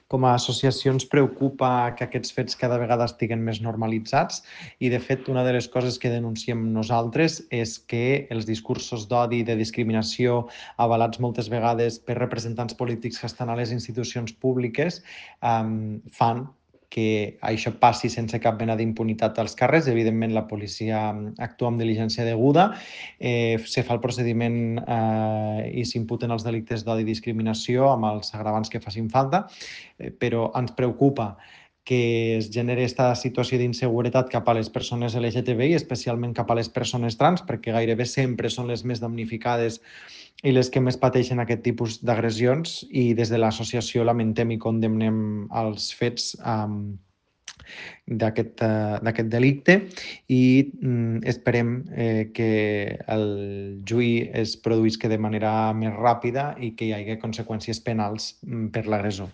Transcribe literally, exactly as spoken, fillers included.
Com a associació ens preocupa que aquests fets cada vegada estiguen més normalitzats i, de fet, una de les coses que denunciem nosaltres és que els discursos d'odi i de discriminació avalats moltes vegades per representants polítics que estan a les institucions públiques um, fan que això passi sense cap mena d'impunitat als carrers. Evidentment, la policia actua amb diligència deguda, eh, se fa el procediment eh, i s'imputen els delictes d'odi i discriminació amb els agravants que facin falta, eh, però ens preocupa que es generi aquesta situació d'inseguretat cap a les persones L G T B I, especialment cap a les persones trans, perquè gairebé sempre són les més damnificades i les que més pateixen aquest tipus d'agressions, i des de l'associació lamentem i condemnem els fets um, d'aquest uh, delicte i um, esperem eh, que el juí es produïsca de manera més ràpida i que hi hagi conseqüències penals um, per l'agressor.